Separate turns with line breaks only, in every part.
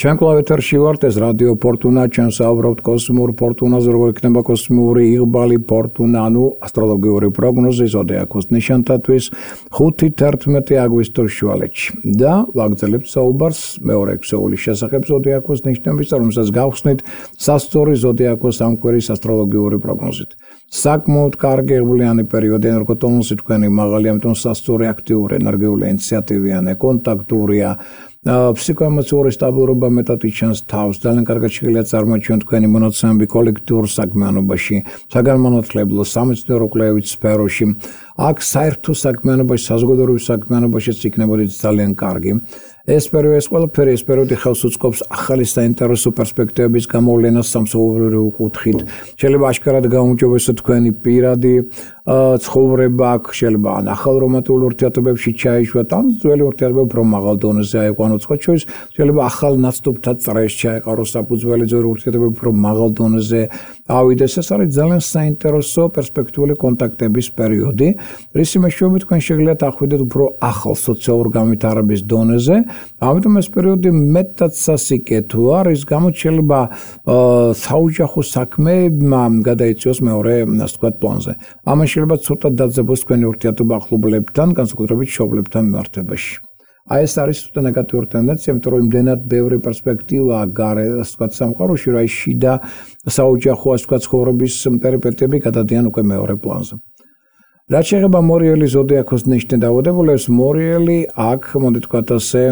Ჩვენ კვლავ ეთერში ვართ, ეს რადიო ფორტუნა, ჩვენ საუბრობთ კოსმიურ ფორტუნაზე, როგორ იქნება კოსმიური იღბალი ფორტუნა, ანუ ასტროლოგიური პროგნოზი ზოდიაქოს ნიშანთათვის 5-11 აგვისტოს შუალედში. და ვაგრძელებთ საუბარს მეორე ქსოვილის შესახებ ზოდიაქოს ნიშნების, რომელსაც გავხსნით სასწორი ზოდიაქოს ამკვირის ასტროლოგიური პროგნოზით. საკმაოდ კარგი იღბლიანი პერიოდი, როგორც თონუსი თქვენი მაღალი, ამიტომ სასწორი აქტიური, ენერგიული, ინიციატივიანი, კონტაქტურია. Psikoemotsiouri სტაბილურობა მეტად იჩენს თავს, ძალიან კარგად შეიძლება წარმოაჩინოთ თქვენი მონაცემები კოლექტიურ საქმიანობაში, საგანმანათლებლო, სამეცნიერო კვლევით სფეროში. აქ საერთო საქმიანობაში, საზოგადოებრივ საქმიანობაშიც იქნებოდით ძალიან კარგი. ეს პერიოდი ხელს უწყობს ახალი საინტერესო პერსპექტივების გამოვლენას სამსახურეო კუთხით. შეიძლება აშკარად გაუმჯობესოთ თქვენი პირადი ცხოვრება, აქ შეიძლება ან ახალ რომანტიკულ ურთიერთობებში ჩაიშვათ, ან ძველი ურთიერთობები უფრო მაღალ დონეზე აიყვანოთ. შეიძლება ახალ ნაცნობთან წრეს ჩაეყაროს საფუძველი ძველი ურთიერთობები უფრო მაღალ დონეზე ავიდეს. ეს არის ძალიან საინტერესო პერსპექტიული კონტაქტების პერიოდი, რის მეშვეობით თქვენ შეგიძლიათ ახვიდეთ უფრო ახალ სოციალურ განვითარების დონეზე. ამიტომ ეს პერიოდი მეტად სასიკეთოა, რის გამოც შეიძლება საოჯახო საქმე გადაიწიოს მეორე, ასე ვთქვათ, პლანზე. ამან შეიძლება ცოტა დაძაბოს თქვენი ურთიერთობა ახლობლებთან, განსაკუთრებით მშობლებთან მიმართებაში. ეს არის ცოტა ნეგატიური ტენდენცია, იმიტომ რომ იმდენად ბევრი პერსპექტივა გარე, ასე ვთქვათ, სამყაროში, რომ შიდა საოჯახო, ასე ვთქვათ, ცხოვრების პერიპეტიები გადადიან უკვე მეორე პლანზე. რაც შეეხება მორიელი ზოდიაქოს ნიშნით დაავადებულებს, მორიელი აქ, მოდი ვთქვათ ასე,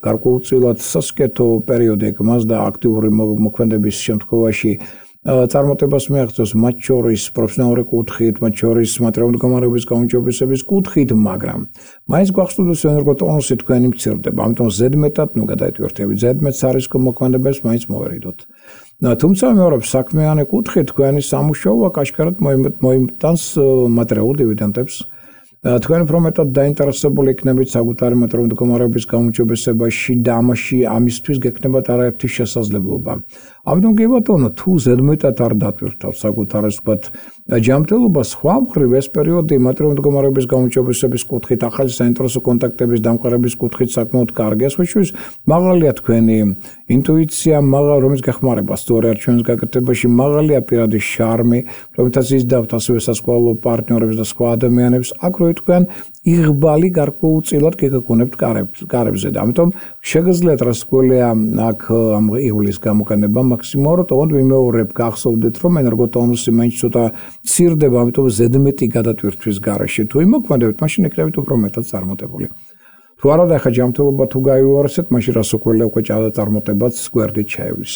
გარკვეულწილად სასიკეთო პერიოდი ეკმას და აქტიური მოქმედების შემთხვევაში წარმატებას მიაღწევს მათ შორის პროფესიონალური კუთხით, მათ შორის მატერიალური მდგომარეობის გაუმჯობესების კუთხით, მაგრამ მაინც გვახსოვდეს ენერგოტონუსი თქვენი მცირდება, ამიტომ ზედმეტად გადაეტვირთებით, ზედმეტ სარისკო მოქმედებებს მაინც მოვერიდოთ. თუმცა მეორე საქმიანი კუთხით თქვენი სამუშაო აქ აშკარად მოიმტანს მატერიალურ დივიდენდებს. თქვენ უფრო მეტად დაინტერესებული იქნებით საკუთარი მატერიალური მდგომარეობის გაუმჯობესებაში და ამისთვის გექნებათ არაერთი შესაძლებლობა. ამიტომ კი ბატონო, თუ ზედმეტად არ დატვირთავთ საკუთარ ვთქვათ ჯანმრთელობას, სხვა მხრივ ეს პერიოდი მატერიალური მდგომარეობის გაუმჯობესების კუთხით, ახალი საინტერესო კონტაქტების დამყარების კუთხით საკმაოდ კარგია. სხვათა მაღალია თქვენი ინტუიცია, რომელიც გეხმარება სწორი არჩევნის გაკეთებაში, მაღალია პირადი შარმი, რომელთაც იზიდავთ ასევე სასკოლო პარტნიორებს და სხვა ადამიანებს. აქ თქვენ იღბალი გარკვეულწილად გეგონებთ კარებზე და ამიტომ შეგიძლიათ რასკვლელია აქ ამ იღბლის გამოყენება მაქსიმალურად, თუმცა ვიმეორებ გახსოვდეთ რომ ენერგოტონუსი მაინც ცოტა მცირდება, ამიტომ ზედმეტი გადატვირთვის გარეშე თუ იმოქმედებთ, მაშინ იქნებით უფრო მეტად წარმატებული. თუ არა და ხა ჯანმრთელობა თუ გაიუარესეთ, მაშინ რასკვლელია უკვე წარმატებაც გვერდით ჩაივლის.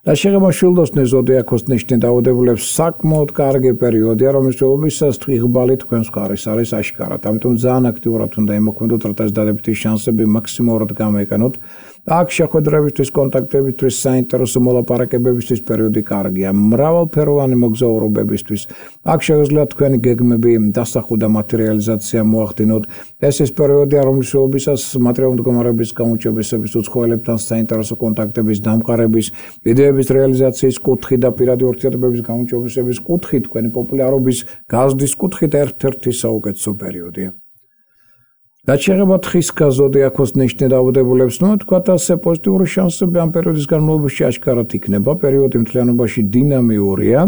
რაც შეეხება შილდოსნის ზოდიაქოს ნიშნით დაავადებულებს, საკმაოდ კარგი პერიოდია, რომლის თვალობისას იღბალი თქვენს მხარეს არის აშკარად. ამიტომ ძალიან აქტიურად უნდა იმოქმედოთ, რათა ეს დადებითი შანსები მაქსიმალურად გამოიყენოთ. აქ შეხვედრებისთვის, კონტაქტებისთვის, საინტერესო მოლაპარაკებებისთვის პერიოდი კარგია. მრავალფეროვანი მოგზაურობებისთვის. აქ შეგიძლიათ თქვენი გეგმები დასახვა და მატერიალიზაცია მოახდინოთ. ეს ის პერიოდია, რომლის თვალობისას მატერიალური მდგომარეობის გაუმჯობესების უცხოელებთან საინტერესო კონტაქტების დამყარების იდეების რეალიზაციის კუთხით და პირადი ურთიერთობების გაუმჯობესების კუთხით, თქვენი პოპულარობის გაზრდის კუთხით ერთ-ერთი საუკეთესო პერიოდია. რაც შეეხება თხისქა ზოდიაქოს ნიშნით დაავადებულებს, თქვათ ასე პოზიტიური შანსები ამ პერიოდის განმავლობაში აშკარად იქნება. პერიოდი მთლიანობაში დინამიურია,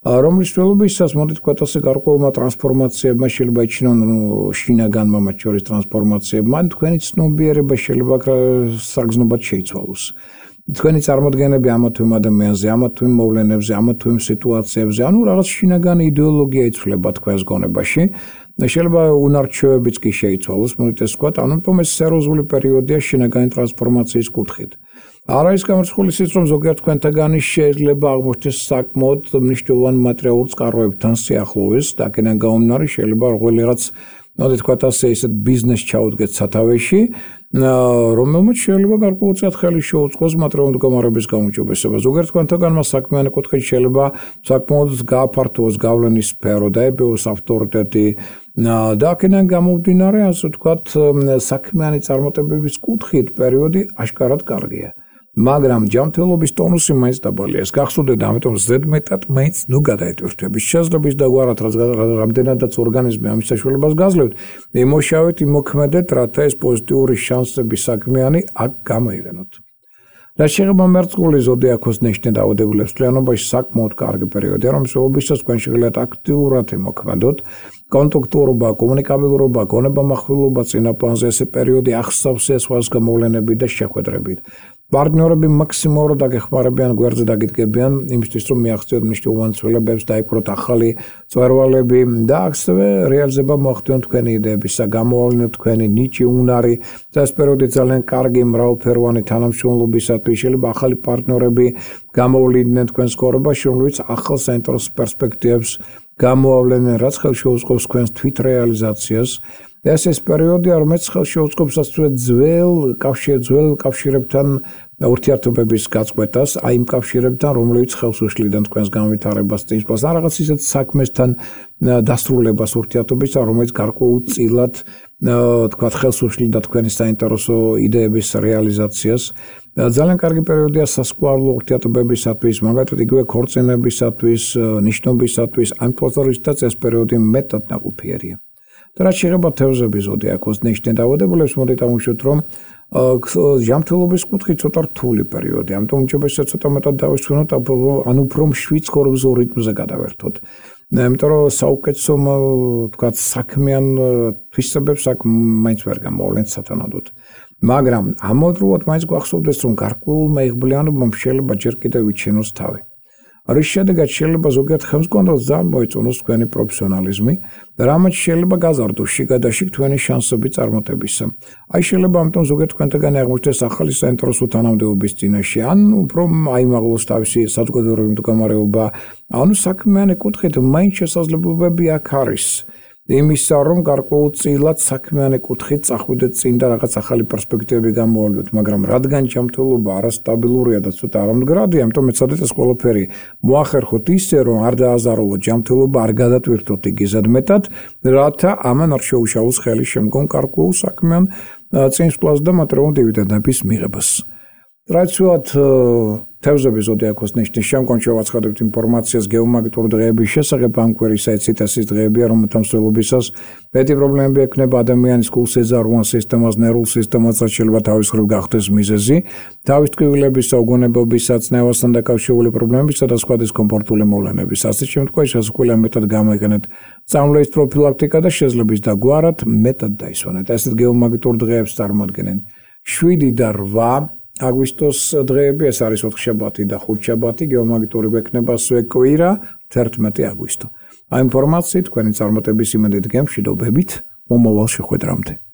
რომლის თვალობისას მოდი თქვათ ასე გარკვეულმა ტრანსფორმაციებმა შეიძლება იჩინონ შინაგანმა მათ შორის ტრანსფორმაციებმა, თქვენი ცნობიერება შეიძლება საგრძნობად შეიცვალოს. თქვენი წარმოდგენები ამა თუ იმ ადამიანზე, ამა თუ იმ მოვლენებზე, ამა თუ იმ სიტუაციებზე, ანუ რაღაც შინაგანი იდეოლოგია იცვლება თქვენს გონებაში. შეიძლება უნარჩვევებიც კი შეიცვალოს, მოდით ეს ვთქვათ, ანუ ეს სერიოზული პერიოდია შინაგანი ტრანსფორმაციის კუთხით. არ არის გამორიცხული ისიც, რომ ზოგიერთ თქვენთაგანი შეიძლება აღმოჩნდეს საკმაოდ მნიშვნელოვანი მატერიალურ წყაროებთან სიახლოვეს, და აქედან გამომდინარე შეიძლება რომელიღაც მოდით ვთქვათ ასე ისეთ ბიზნეს ჩაუდგეთ სათავეში, რომელმაც შეიძლება გარკვეულწილად ხელი შეუწყოს მატერიალური მდგომარეობის გაუმჯობესებას. ზოგიერთ თქვენთაგანმა საქმიანი კუთხით შეიძლება საკმაოდ გააფართოვოს გავლენის სფერო, დაებეოს ავტორიტეტი და აქედან გამომდინარე, ასე ვთქვათ, საქმიანი წარმატებების კუთხით პერიოდი აშკარად კარგია. მაგრამ ჯანმრთელობის ტონუსი მაინც დაბალია. ეს გახსოვდეთ, ამიტომ ზედმეტად მაინც გადაეტვირთებით. შესაძლებლობის დაგვარად რამდენადაც ორგანიზმი ამის საშუალებას გაძლევთ, იმოშავეთ, იმოქმედეთ, რათა ეს პოზიტიური შანსები საქმიანი აქ გამოიყენოთ. რაც შეეხება მერწყული ზოდიაქოს ნიშნით დაავადებულებს, მთლიანობაში საკმაოდ კარგი პერიოდია, რომელსაც თქვენ შეგიძლიათ აქტიურად იმოქმედოთ. კონტაქტურობა, კომუნიკაბილურობა, გონებამახვილობა წინა პლანზე ეს პერიოდი ახსავს სხვას გამოვლენებით და შეხვედრებით. პარტნიორები მაქსიმალურად აგეხმარებიან, გვერდზე დაგიდგებიან იმისთვის, რომ მიაღწიოთ მნიშვნელოვან ცვლილებებს, დაიპყროთ ახალი მწვერვალები და ასევე რეალიზება მოახდინოთ თქვენი იდეების, გამოავლინოთ თქვენი ნიჭი, უნარი. ეს პერიოდი ძალიან კარგი მრავალფეროვანი თანამშრომლობისათვის, შეიძლება ახალი პარტნიორები გამოვლინდნენ თქვენს ცხოვრებაში, რომლებიც ახალ საინტერესო პერსპექტივებს გამოავლენენ, რაც ხელს შეუწყობს თქვენს თვითრეალიზაციას. ეს პერიოდია, რომელიც ხელს შეუწყობს ძველ კავშირებთან ურთიერთობების გაწყვეტას, აი იმ კავშირებთან, რომლებიც ხელს უშლიდნენ თქვენს განვითარებას, წინსვლას, ან რაღაც ისეთ საქმესთან დასრულებას ურთიერთობისა, რომელიც გარკვეულწილად თქვათ ხელს უშლიდა თქვენი საინტერესო იდეების რეალიზაციას. ძალიან კარგი პერიოდია სასკვალო ურთიერთობებისათვის, მაგალითად იგივე ქორწინებისათვის, ნიშნობისათვის, ამ თვალსაზრისითაც ეს პერიოდი მეტად ნაყოფიერია. და რაც შეეხება თევზების ზოდიაქოს ნიშნით დაავადებულებს, მოდით ამოვშვით, რომ ჟამთველობის კუთხე ცოტა რთული პერიოდი, ამიტომ უჭირდება ცოტა მეტად დავისვენოთ, ან უფრო მშვიდ ხორბზო რიტმზე გადავერთოთ. იმიტომ რომ საუკეთესო თქვათ საქმიან თვისებებს აქ მაინც ვერ გამოვლენთ სათანადოდ. მაგრამ ამავდროულად მაინც გვახსოვდეს, რომ გარკვეულ მეიღბლიანობამ შეიძლება ჯერ კიდევ ვიჩინოს თავი. რის შედეგად შეიძლება ზოგიერთ ხელმძღვანელს ძალიან მოეწონოს თქვენი პროფესიონალიზმი, რამაც შეიძლება გაზარდოს შიგადაშიგ თქვენი შანსები წარმატებისა. აი შეიძლება ამიტომ ზოგიერთ თქვენთაგანი აღმოჩნდეს ახალი საინტერესო თანამდებობის წინაშე, ან უფრო აიმაღლოს თავისი საზოგადოებრივი მდგომარეობა, ანუ საქმიანი კუთხით მაინც შესაძლებლობები აქ არის. იმისა, რომ გარკვეულწილად საქმიანი კუთხით წახვიდეთ წინ და რაღაც ახალი პერსპექტივები გამოავლინოთ, მაგრამ რადგან ჯანმრთელობა არასტაბილურია და ცოტა არამდგრადია, ამიტომ ეცადეთ ეს ყველაფერი მოახერხოთ ისე, რომ არ დააზარალოთ ჯანმრთელობა, არ გადატვირთოთ იგიზად მეტად, რათა ამან არ შეუშალოს ხელი შემდგომ გარკვეულ საქმიან წინსვლას და მატერიალურ დივიდენდების მიღებას. ტრადიციულად თევზების ზოდიაქოს ნიშნის შემდგომში ვაცხადებთ ინფორმაციას გეომაგნიტური დღეების შესახებ, ამ კვირის საიტის დღეებია, რომელთა მსვლელობისას მეტი პრობლემები ექნება ადამიანის გულსეზარუან სისტემას, ნერვულ სისტემას, რაც შეიძლება თავის მხრივ გახდეს მიზეზი, თავის ტკივილებისა, უგონებობისა, წნევასთან დაკავშირებული პრობლემებისა და სხვა დისკომფორტული მოვლენების. ასეთ შემთხვევაში სასუქველია მეტად გამოიყენეთ წამლების პროფილაქტიკა და შესლების დაგვარად მეტად დაისვენეთ. ასეთ გეომაგნიტურ დღეებს წარმოადგენენ 7 და 8 აგვისტოს დღეები, ეს არის 4 შაბათი და 5 შაბათი, გეომაგნიტური გვექნება კვირა 11 აგვისტო. აი ინფორმაციით თქვენი წარმატების იმედით გემშვიდობებით, მომავალ შეხვედრამდე.